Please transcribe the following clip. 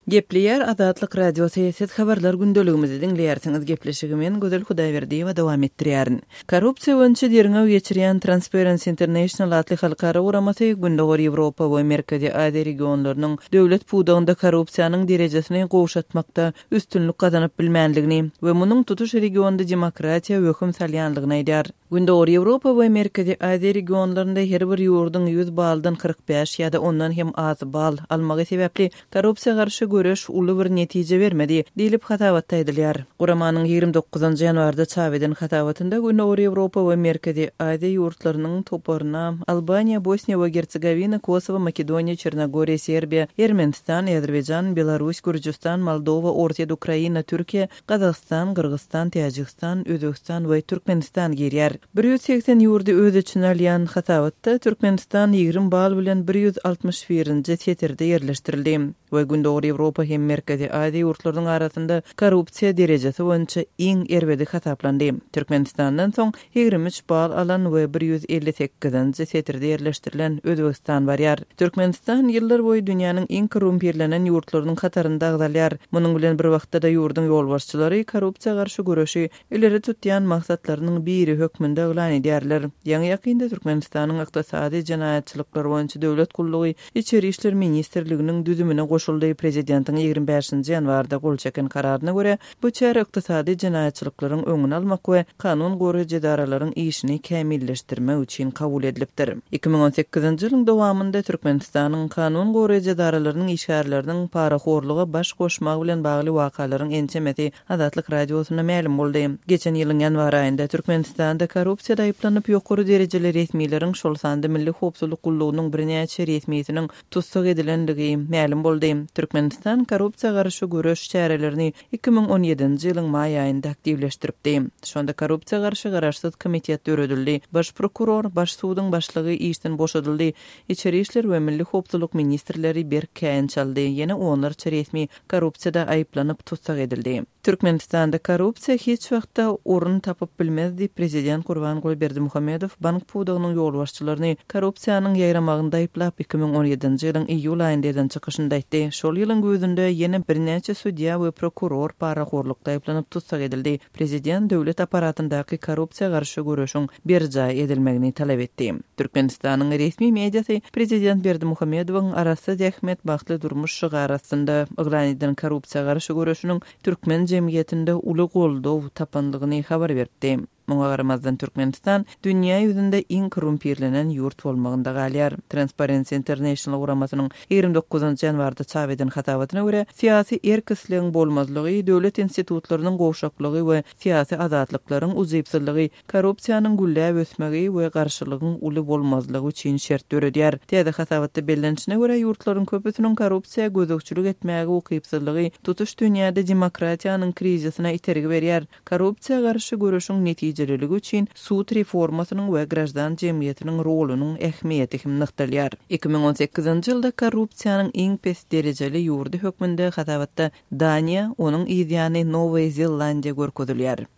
Gepleýär Azatlyk Radiosy, Siz Habarlar gündeligimizi diňleýärsiňiz. Gepleşigi men, Gözel Hudaýberdiýewa dowam etdirýärin. Korrupsiýa boýunça derňew geçirýän Transparency International atly halkara guramasy Gündogar Ýewropa we Merkezi Aziýa regionlarynyň döwlet pudagynda korrupsiýanyň derejesini gowşatmakda üstünlik gazanyp bilmändigini we munuň tutuş regionda demokratiýa wehim salýandygyny aýdýar. Gündogar Ýewropa we Merkezi Aziýa regionlarynda her bir ýurduň 100 baldan 45 ýa-da ondan hem az bal almagy sebäpli korrupsiýa garşy göreş uly bir netije bermedi, diýlip hasabatda aýdylýar. Guramanyň 29 ýanwarda çap eden hasabatynda Gündogar Ýewropa we Merkezi Aziýa ýurtlarynyň toparyna Albaniýa, Bosniýa we Gersegowina, Kosowo, Makedoniýa, Çernogoriýa, Serbiýa, Ermenistan, Azerbaýjan, Belarus, Gürjüstan, Moldowa, Orsýet, Ukraina, Türkiýe, Gazagystan, Gyrgyzystan, Täjigistan, Özbegistan we Türkmenistan girýär. 180 ýurdy öz içine alýan hasabatda Türkmenistan 20 bal bilen 161-nji setirde ýerleşdirildi we Gündogar Ýewropa hem Merkezi Aziýa ýurtlarynyň arasynda korrupsiýa derejesi boýunça iň erbedi hasaplandy. Türkmenistandan soň 23 bal alan we 158-nji setirde ýerleşdirilen Özbegistan barýar. Türkmenistan ýyllar boýy dünýäniň iň korrumpirlenen ýurtlarynyň hatarynda agzalýar. Munuň bilen bir wagtda-da ýurduň ýolbaşçylary korrupsiýa garşy göreşi ileri tutýan maksatlarynyň biri hökmünde yglan edýärler. Ýaňy-ýakynda Türkmenistanyň Ykdysady jenaýatçylyklar boýunça döwlet gullugy Içeri işler ministrliginiň düzümine goşuldy. Prezidentiň 25-nji ýanwarda gol çeken kararyna görä, Bu çäre ykdysady jenaýatçylyklaryň öňüni almak we kanun goraýjy edaralaryň işini kämilleşdirmek üçin kabul edilipdir. 2018-nji ýylyň dowamynda Türkmenistanyň kanun goraýjy edaralarynyň işgärleriniň parahorluga baş goşmagy bilen bagly wakalaryň ençemesi Azatlyk Radiosyna mälim boldy. Geçen ýylyň ýanwar aýynda Türkmenistanda korrupsiýada aýyplanyp ýokary derejeli resmileriň, şol sanda Milli howpsuzlyk gullugynyň birnäçe resmisiniň tussag edilendigi mälim boldy. Türkmenistan korrupsiýa garşy göreş çärelerini 2017-nji ýylyň maý aýynda aktiwleşdiripdi. Şonda korrupsiýa garşy garaşsyz komitet döredildi, baş prokuror, baş suduň başlygy işden boşadyldy, içeri işler we milli howpsuzlyk ministrleri berk käýinç aldy, ýene onlarça resmi korrupsiýada aýyplanyp tussag edildi. Türkmenistanda korrupsiýa hiç wagtda orun tapyp bilmez diýip, prezident Gurbanguly Berdimuhamedow bank pudagynyň ýolbaşçylaryny korrupsiýanyň ýaýramagynda aýyplap, 2017-nji ýylyň iýul aýynda eden çykyşynda aýtdy. Şol ýylyň güýzünde ýene birnäçe sudýa we prokuror parahorlukda aýyplanyp tussag edildi. Prezident döwlet apparatyndaky korrupsiýa garşy göreşiň berjaý edilmegini talap etdi. Türkmenistanyň resmi mediasy prezident Berdimuhamedowyň Arassa zähmet, bagtly durmuş şygary astynda yglan eden korrupsiýa garşy göreşiniň türkmen jemgyýetinde uly goldaw tapandygyny habar beripdi. Muňa garamazdan Türkmenistan dünýä ýüzünde iň korrumpirlenen ýurt bolmagynda galýar. Transparency International guramasynyň 29 ýanwarda çap eden hasabatyna görä, syýasy erk-islegiň bolmazlygy, döwlet institutlarynyň gowşaklygy we syýasy azatlyklaryň ujypsyzlygy korrupsiýanyň gülläp ösmegi we garşylygyň uly bolmazlygy üçin şert döredýär. Täze hasabatda bellenişine görä, ýurtlaryň köpüsiniň korrupsiýa gözegçilik etmäge ukypsyzlygy tutuş dünýäde demokratiýanyň krizisine itergi berýär. Korrupsiýa garşy göreşiň netijeliligi üçin sud reformasynyň we graždan jemgyýetiniň rolunyň ähmiýeti hem nygtalýar. 2018-nji ýylda korrupsiýanyň iň pes derejeli ýurdy hökmünde hasabatda Daniýa, onuň yzýany Nowaýa Zelandiýa görkezilýär.